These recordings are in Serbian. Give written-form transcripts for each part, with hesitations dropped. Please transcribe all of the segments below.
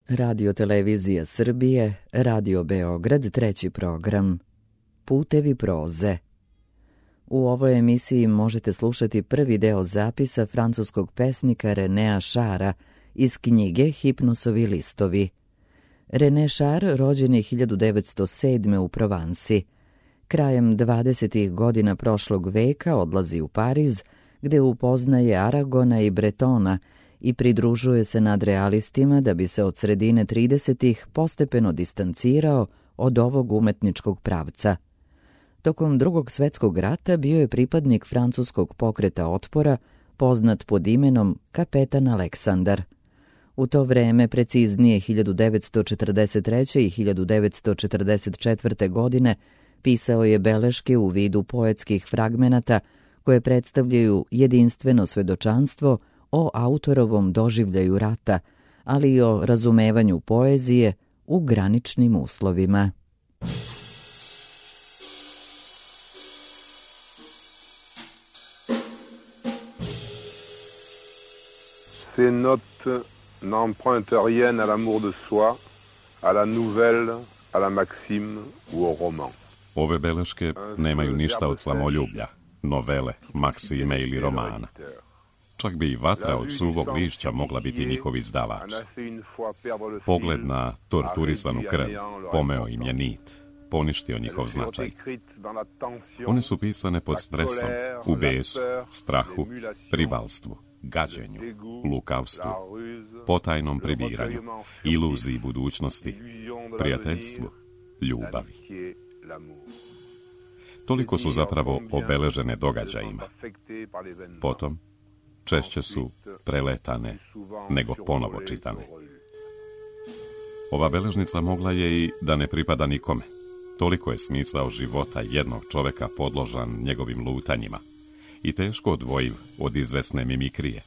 Radio Televizija Srbije, Radio Beograd, treći program. Putevi proze. U ovoj emisiji možete slušati prvi deo zapisa francuskog pesnika Renea Chara iz knjige Hipnosovi listovi. René Char rođen je 1907. u Provansi. Krajem 20. godina prošlog veka odlazi u Pariz, gde upoznaje Aragona i Bretona i pridružuje se nadrealistima da bi se od sredine 30. postepeno distancirao od ovog umetničkog pravca. Tokom Drugog svjetskog rata bio je pripadnik francuskog pokreta otpora, poznat pod imenom Kapetan Aleksandar. U to vreme, preciznije 1943. i 1944. godine, pisao je beleške u vidu poetskih fragmenata koje predstavljaju jedinstveno svedočanstvo o autorovom doživljaju rata, ali i o razumevanju poezije u graničnim uslovima. Ces notes n'empruntent rien à l'amour de soi, à la nouvelle, à la maxime ou au roman. Ove beleške nemaju ništa od samoljublja, novele, maksime ili romana. Čak bi i vatra od suvog lišća mogla biti njihov izdavač. Pogled na torturisanu krv pomeo im je nit, poništio njihov značaj. One su pisane pod stresom, u besu, strahu, rivalstvu, gađenju, lukavstvu, potajnom prebiranju, iluziji budućnosti, prijateljstvu, ljubavi. Toliko su zapravo obeležene događajima. Potom, češće su preletane nego ponovo čitane. Ova beležnica mogla je i da ne pripada nikome. Toliko je smisao života jednog čoveka podložan njegovim lutanjima i teško odvojiv od izvesne mimikrije,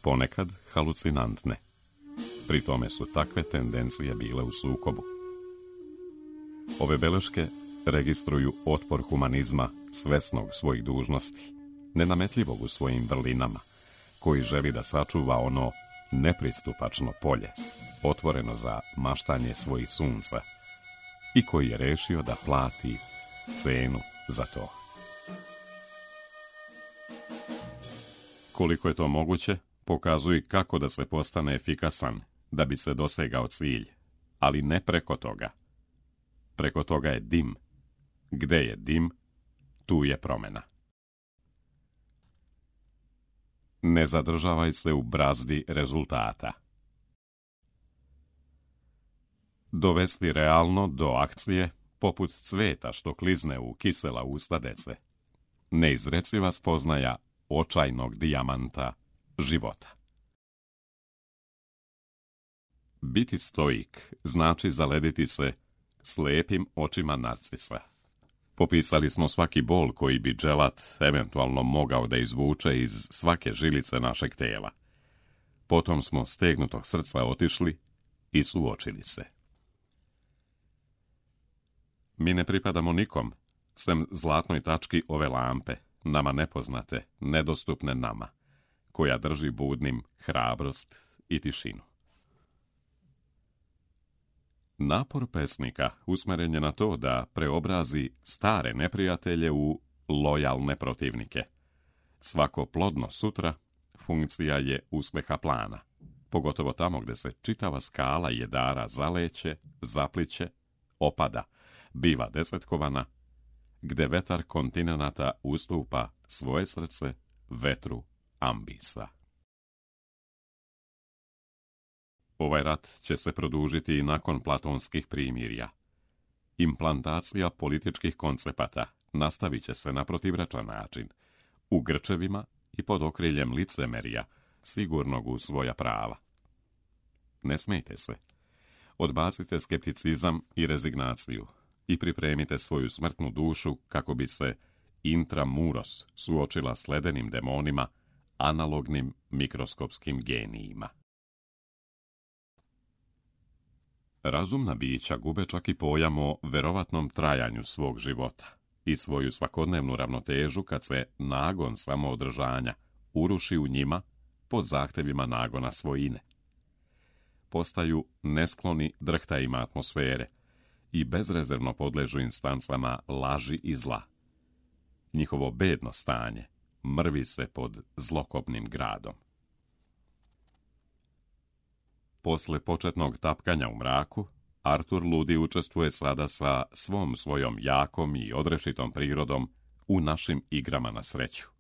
ponekad halucinantne. Pri tome su takve tendencije bile u sukobu. Ove beleške registruju otpor humanizma svesnog svojih dužnosti, nenametljivog u svojim vrlinama, koji želi da sačuva ono nepristupačno polje, otvoreno za maštanje svojih sunca, i koji je rešio da plati cenu za to. Koliko je to moguće, pokazuje kako da se postane efikasan, da bi se dosegao cilj, ali ne preko toga. Preko toga je dim. Gde je dim, tu je promena. Ne zadržavaj se u brazdi rezultata. Dovesti realno do akcije poput cveta što klizne u kisela usta dece. Neizreciva spoznaja očajnog dijamanta života. Biti stoik znači zalediti se slepim očima narcisa. Popisali smo svaki bol koji bi dželat eventualno mogao da izvuče iz svake žilice našeg tela. Potom smo stegnutog srca otišli i suočili se. Mi ne pripadamo nikom, sem zlatnoj tački ove lampe, nama nepoznate, nedostupne nama, koja drži budnim hrabrost i tišinu. Napor pesnika usmeren je na to da preobrazi stare neprijatelje u lojalne protivnike. Svako plodno sutra funkcija je uspeha plana, pogotovo tamo gde se čitava skala jedara zaleće, zapliće, opada, biva desetkovana, gde vetar kontinenata ustupa svoje srce vetru ambisa. Ovaj rat će se produžiti i nakon platonskih primirja. Implantacija političkih koncepata nastavit će se na protivrečan način, u grčevima i pod okriljem licemerja, sigurnog u svoja prava. Ne smejte se. Odbacite skepticizam i rezignaciju i pripremite svoju smrtnu dušu kako bi se intramuros suočila s ledenim demonima, analognim mikroskopskim genijima. Razumna bića gube čak i pojam o verovatnom trajanju svog života i svoju svakodnevnu ravnotežu kad se nagon samoodržanja uruši u njima pod zahtevima nagona svojine. postaju neskloni drhtajima atmosfere i bezrezervno podležu instancama laži i zla. Njihovo bedno stanje mrvi se pod zlokobnim gradom. Posle početnog tapkanja u mraku, Artur Ludi učestvuje sada sa svom svojom jakom i odrešitom prirodom u našim igrama na sreću.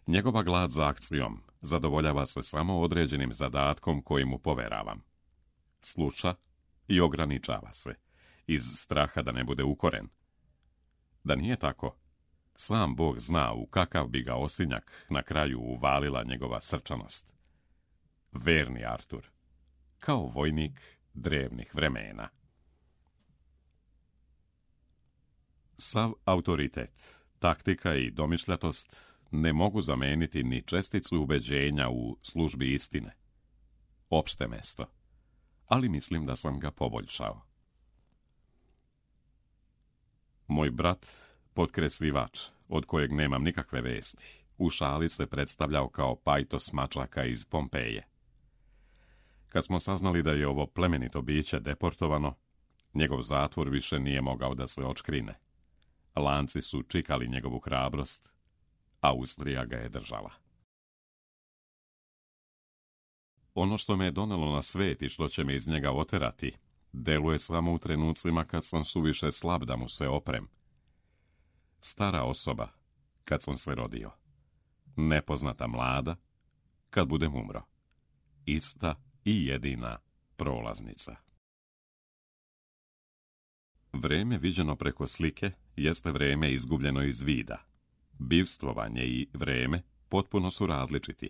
Njegova glad za akcijom zadovoljava se samo određenim zadatkom koji mu poveravam. Sluša i ograničava se, iz straha da ne bude ukoren. Da nije tako, sam Bog zna u kakav bi ga osinjak na kraju uvalila njegova srčanost. Verni Artur, kao vojnik drevnih vremena. Sav autoritet, taktika i domišljatost ne mogu zameniti ni česticu ubeđenja u službi istine. Opšte mesto, ali mislim da sam ga poboljšao. Moj brat, potkreslivač, od kojeg nemam nikakve vesti, u šali se predstavljao kao pajtos mačaka iz Pompeje. Kad smo saznali da je ovo plemenito biće deportovano, njegov zatvor više nije mogao da se očkrine. Lanci su čikali njegovu hrabrost, Austrija ga je držala. Ono što me je donelo na svet i što će me iz njega oterati, deluje samo u trenucima kad sam suviše slab da mu se oprem. Stara osoba, kad sam se rodio. Nepoznata mlada, kad budem umro. Ista i jedina prolaznica. Vreme viđeno preko slike jeste vreme izgubljeno iz vida. Bivstvovanje i vreme potpuno su različiti.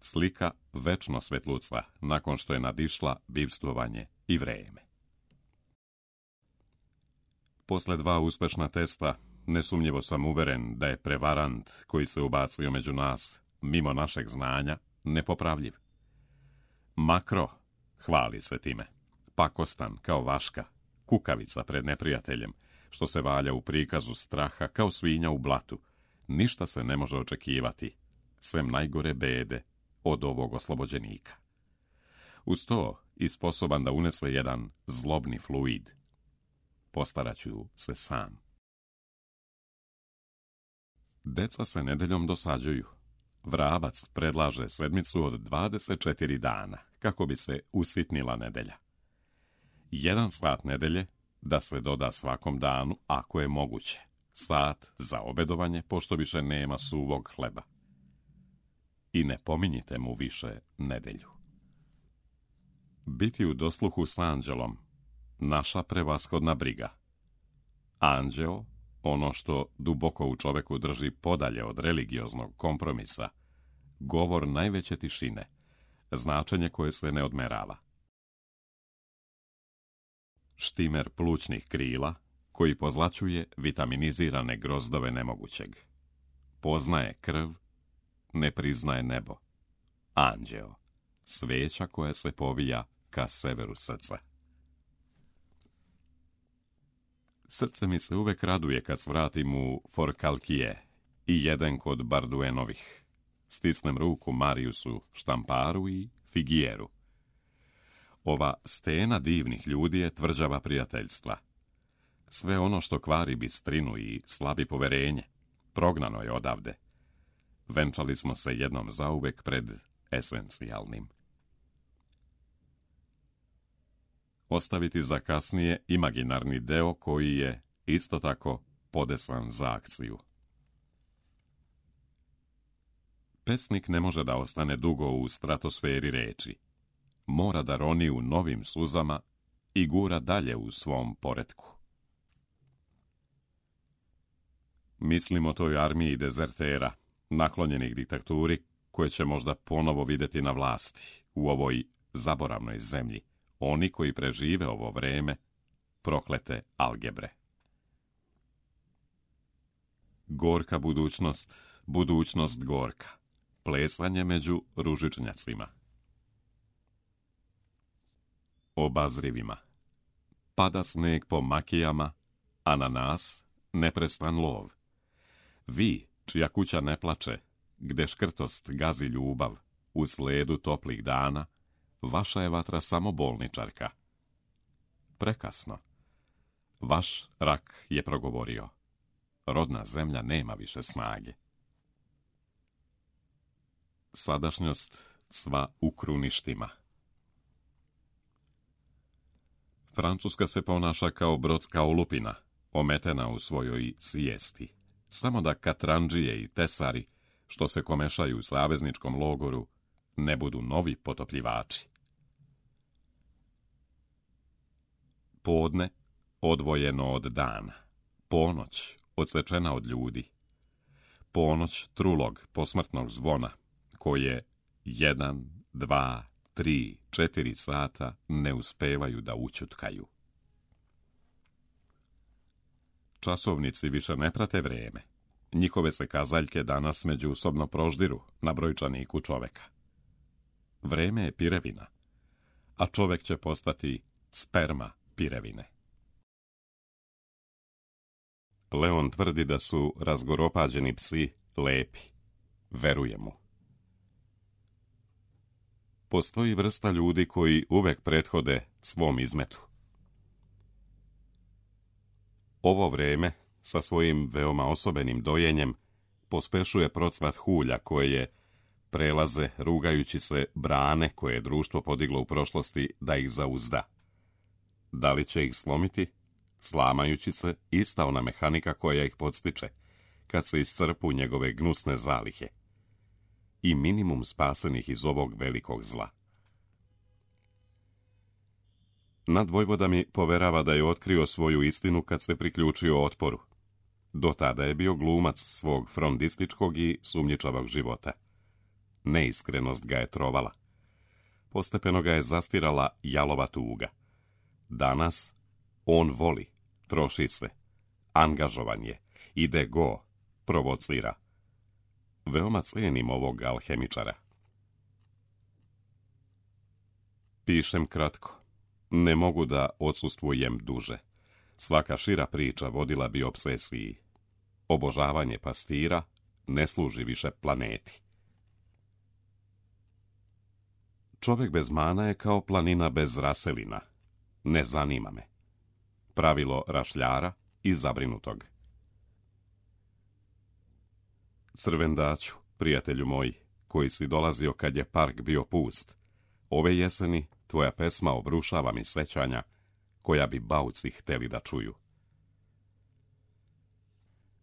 Slika večno svetluca nakon što je nadišla bivstvovanje i vreme. Posle 2 uspešna testa, nesumnjivo sam uveren da je prevarant koji se ubacio među nas, mimo našeg znanja, nepopravljiv. Makro hvali se time, pakostan kao vaška, kukavica pred neprijateljem, što se valja u prikazu straha kao svinja u blatu. Ništa se ne može očekivati, sem najgore bede od ovog oslobođenika. Uz to i sposoban da unese jedan zlobni fluid. Postaraću se sam. Deca se nedeljom dosađuju. Vrabac predlaže sedmicu od 24 dana, kako bi se usitnila nedelja. 1 sat nedelje da se doda svakom danu, ako je moguće. Sat za obedovanje, pošto više nema suvog hleba. I ne pominjite mu više nedelju. Biti u dosluhu s anđelom, naša prevashodna briga. Anđeo, ono što duboko u čoveku drži podalje od religioznog kompromisa, govor najveće tišine, značenje koje se ne odmerava. Štimer plućnih krila, koji pozlaćuje vitaminizirane grozdove nemogućeg. Poznaje krv, ne priznaje nebo. Anđeo, sveća koja se povija ka severu srca. Srce mi se uvek raduje kad svratim u Forcalquier i jedem kod Barduenovih. Stisnem ruku Mariusu Štamparu i Figuieru. Ova stena divnih ljudi je tvrđava prijateljstva. Sve ono što kvari bistrinu i slabi poverenje, prognano je odavde. Venčali smo se jednom zauvek pred esencijalnim. Ostaviti za kasnije imaginarni deo koji je isto tako podesan za akciju. Pesnik ne može da ostane dugo u stratosferi reči. Mora da roni u novim suzama i gura dalje u svom poretku. Mislim o toj armiji dezertera, naklonjenih diktaturi, koje će možda ponovo vidjeti na vlasti u ovoj zaboravnoj zemlji. Oni koji prežive ovo vreme proklete algebre. Gorka budućnost, budućnost gorka. Plesanje među ružičnjacima. Obazrivima. Pada sneg po makijama, a na nas neprestan lov. Vi, čija kuća ne plače, gde škrtost gazi ljubav, u sledu toplih dana, vaša je vatra samo bolničarka. Prekasno. Vaš rak je progovorio. Rodna zemlja nema više snage. Sadašnjost sva u kruništima. Francuska se ponaša kao brodska olupina, ometena u svojoj svijesti. Samo da katranđije i tesari, što se komešaju u savezničkom logoru, ne budu novi potopljivači. Podne odvojeno od dana, ponoć odsečena od ljudi, ponoć trulog posmrtnog zvona, koje 1, 2, 3, 4 sata ne uspevaju da ućutkaju. Časovnici više ne prate vrijeme. Njihove se kazaljke danas međusobno proždiru na brojčaniku čoveka. Vreme je pirevina, a čovek će postati sperma pirevine. Leon tvrdi da su razgoropađeni psi lepi. Veruje mu. Postoji vrsta ljudi koji uvek prethode svom izmetu. Ovo vreme, sa svojim veoma osobenim dojenjem, pospešuje procvat hulja koje prelaze, rugajući se, brane koje je društvo podiglo u prošlosti da ih zauzda. Da li će ih slomiti? Slamajući se, ista ona mehanika koja ih podstiče, kad se iscrpu njegove gnusne zalihe. I minimum spasenih iz ovog velikog zla. Nadvojvoda mi poverava da je otkrio svoju istinu kad se priključio otporu. Do tada je bio glumac svog frondističkog i sumnjičavog života. Neiskrenost ga je trovala. Postepeno ga je zastirala jalova tuga. Danas on voli, troši se, angažovan je, ide go, provocira. Veoma cenim ovog alhemičara. Pišem kratko. Ne mogu da odsustvujem duže. Svaka šira priča vodila bi obsesiji. Obožavanje pastira ne služi više planeti. Čovjek bez mana je kao planina bez raselina. Ne zanima me. Pravilo rašljara i zabrinutog. Crvendaću, prijatelju moj, koji si dolazio kad je park bio pust, ove jeseni tvoja pesma obrušava mi sećanja koja bi bauci hteli da čuju.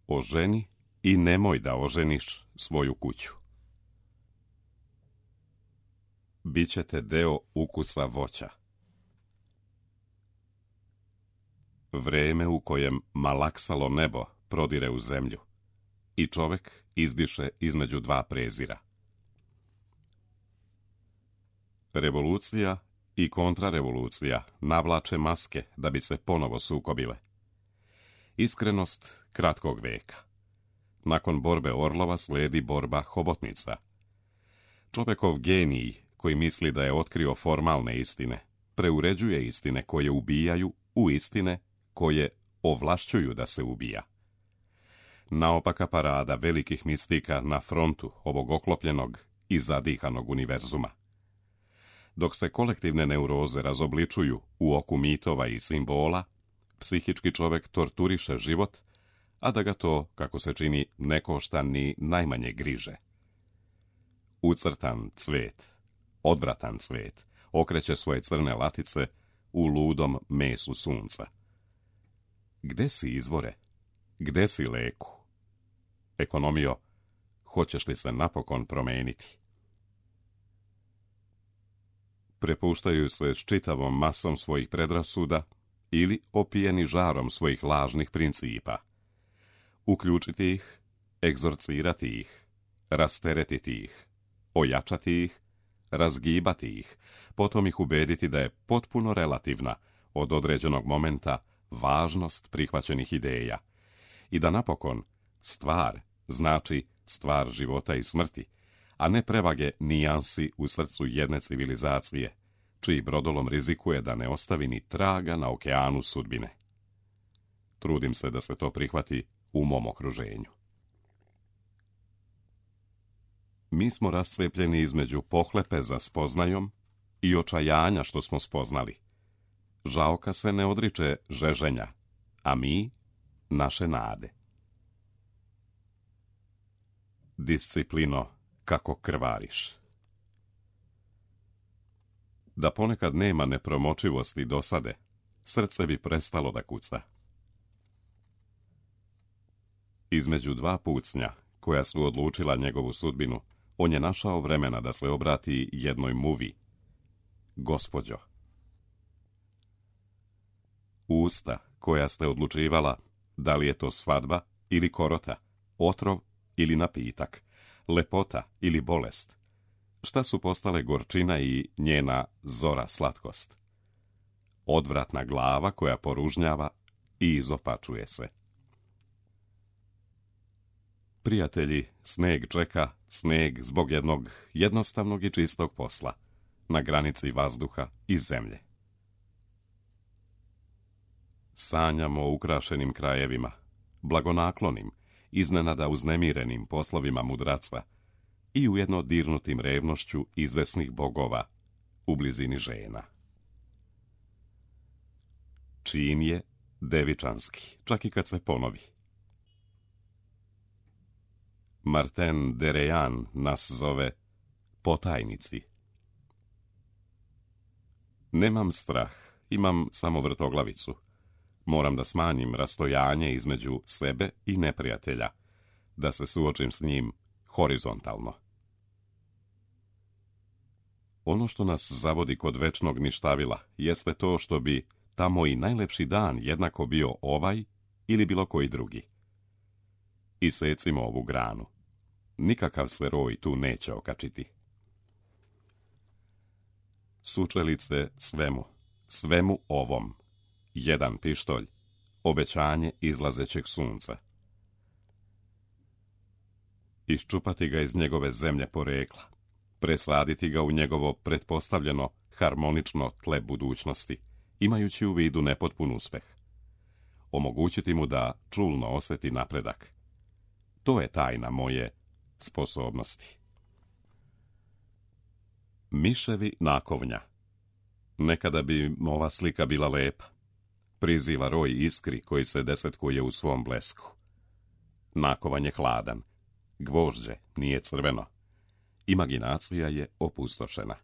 Oženi i nemoj da oženiš svoju kuću. Bićete deo ukusa voća. Vreme u kojem malaksalo nebo prodire u zemlju i čovek izdiše između dva prezira. Revolucija i kontrarevolucija navlače maske da bi se ponovo sukobile. Iskrenost kratkog veka. Nakon borbe orlova slijedi borba hobotnica. Čovekov genij, koji misli da je otkrio formalne istine, preuređuje istine koje ubijaju u istine koje ovlašćuju da se ubija. Naopaka parada velikih mistika na frontu ovog oklopljenog i zadihanog univerzuma. Dok se kolektivne neuroze razobličuju u oku mitova i simbola, psihički čovjek torturiše život, a da ga to, kako se čini, ne košta ni najmanje griže. Ucrtan cvet, odvratan cvet, okreće svoje crne latice u ludom mesu sunca. Gde si izvore? Gde si leku? Ekonomio, hoćeš li se napokon promeniti? Prepuštaju se s čitavom masom svojih predrasuda ili opijeni žarom svojih lažnih principa. Uključiti ih, egzorcirati ih, rasteretiti ih, ojačati ih, razgibati ih, potom ih ubediti da je potpuno relativna od određenog momenta važnost prihvaćenih ideja i da napokon stvar znači stvar života i smrti, a ne prevage nijansi u srcu jedne civilizacije, čiji brodolom rizikuje da ne ostavi ni traga na okeanu sudbine. Trudim se da se to prihvati u mom okruženju. Mi smo rascijepljeni između pohlepe za spoznajom i očajanja što smo spoznali. Žaoka se ne odriče žeženja, a mi naše nade. Disciplino, kako krvariš. Da ponekad nema nepromočivosti dosade, srce bi prestalo da kuca. Između dva pucnja, koja su odlučila njegovu sudbinu, on je našao vremena da se obrati jednoj muvi. Gospođo. Usta koja ste odlučivala da li je to svadba ili korota, otrov ili napitak, lepota ili bolest. Šta su postale gorčina i njena zora slatkost? Odvratna glava koja poružnjava i izopačuje se. Prijatelji, sneg čeka, sneg zbog jednog jednostavnog i čistog posla, na granici vazduha i zemlje. Sanjamo o ukrašenim krajevima, blagonaklonim, iznenada uznemirenim poslovima mudraca i ujedno dirnutim revnošću izvesnih bogova u blizini žena. Čin je devičanski, čak i kad se ponovi. Martin de Rejan nas zove potajnici. Nemam strah, imam samo vrtoglavicu. Moram da smanjim rastojanje između sebe i neprijatelja, da se suočim s njim horizontalno. Ono što nas zavodi kod večnog ništavila jeste to što bi tamo i najlepši dan jednako bio ovaj ili bilo koji drugi. Isecimo ovu granu. Nikakav se roj tu neće okačiti. Sučelice svemu ovom. Jedan pištolj, obećanje izlazećeg sunca. Iščupati ga iz njegove zemlje porekla, presaditi ga u njegovo pretpostavljeno harmonično tle budućnosti, imajući u vidu nepotpun uspeh. Omogućiti mu da čulno osjeti napredak. To je tajna moje sposobnosti. Miševi nakovnja. Nekada bi ova slika bila lepa. Priziva roj iskri koji se desetkuje u svom blesku. Nakovan je hladan. Gvožđe nije crveno. Imaginacija je opustošena.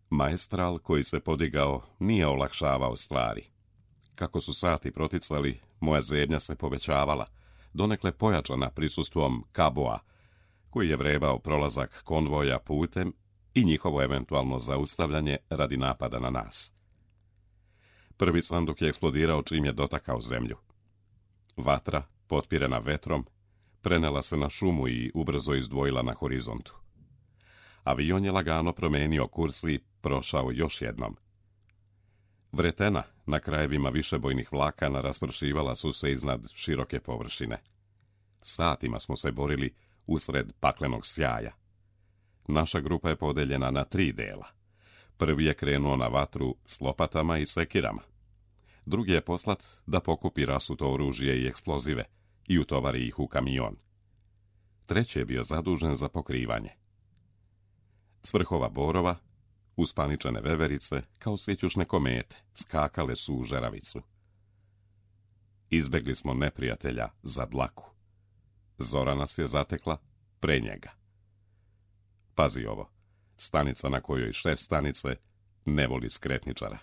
Maestral koji se podigao nije olakšavao stvari. Kako su sati proticali, moja zebnja se povećavala, donekle pojačana prisustvom kaboa, koji je vrebao prolazak konvoja putem i njihovo eventualno zaustavljanje radi napada na nas. Prvi sanduk je eksplodirao čim je dotakao zemlju. Vatra, potpirena vetrom, prenela se na šumu i ubrzo izdvojila na horizontu. Avion je lagano promenio kurs i prošao još jednom. Vretena na krajevima višebojnih vlakana raspršivala su se iznad široke površine. Satima smo se borili usred paklenog sjaja. Naša grupa je podeljena na 3 dela. Prvi je krenuo na vatru s lopatama i sekirama. Drugi je poslat da pokupi rasuto oružje i eksplozive i utovari ih u kamion. Treći je bio zadužen za pokrivanje. S vrhova borova, uspaničene veverice, kao sjećušne komete, skakale su u žeravicu. Izbegli smo neprijatelja za dlaku. Zora nas je zatekla pre njega. Pazi ovo, stanica na kojoj šef stanice ne voli skretničara.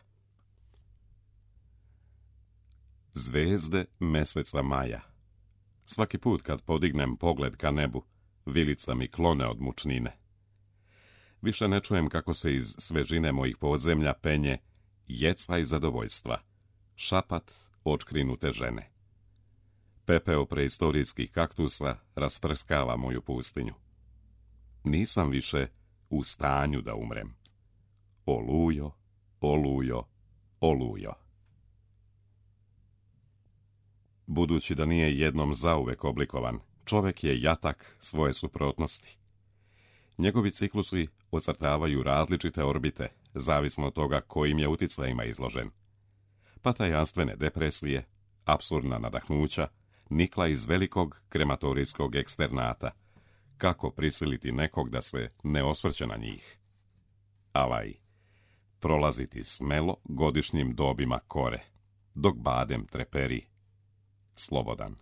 Zvezde meseca maja. Svaki put kad podignem pogled ka nebu, vilica mi klone od mučnine. Više ne čujem kako se iz svežine mojih podzemlja penje jeca i zadovoljstva, šapat očkrinute žene. Pepeo preistorijskih kaktusa rasprskava moju pustinju. Nisam više u stanju da umrem. Olujo, olujo, olujo. Budući da nije jednom zauvek oblikovan, čovjek je jatak svoje suprotnosti. Njegovi ciklusi ocrtavaju različite orbite, zavisno od toga kojim je uticajima izložen. Pa tajanstvene depresije, apsurdna nadahnuća, nikla iz velikog krematorijskog eksternata, kako prisiliti nekog da se ne osvrće na njih. Alaj, prolaziti smelo godišnjim dobima kore, dok badem treperi, slobodan.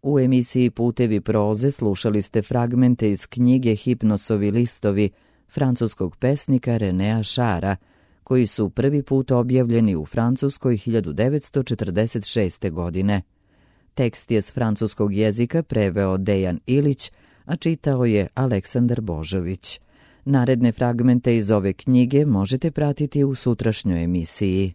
U emisiji Putevi proze slušali ste fragmente iz knjige Hipnosovi listovi francuskog pesnika Renea Chara, koji su prvi put objavljeni u Francuskoj 1946. godine. Tekst je s francuskog jezika preveo Dejan Ilić, a čitao je Aleksandar Božović. Naredne fragmente iz ove knjige možete pratiti u sutrašnjoj emisiji.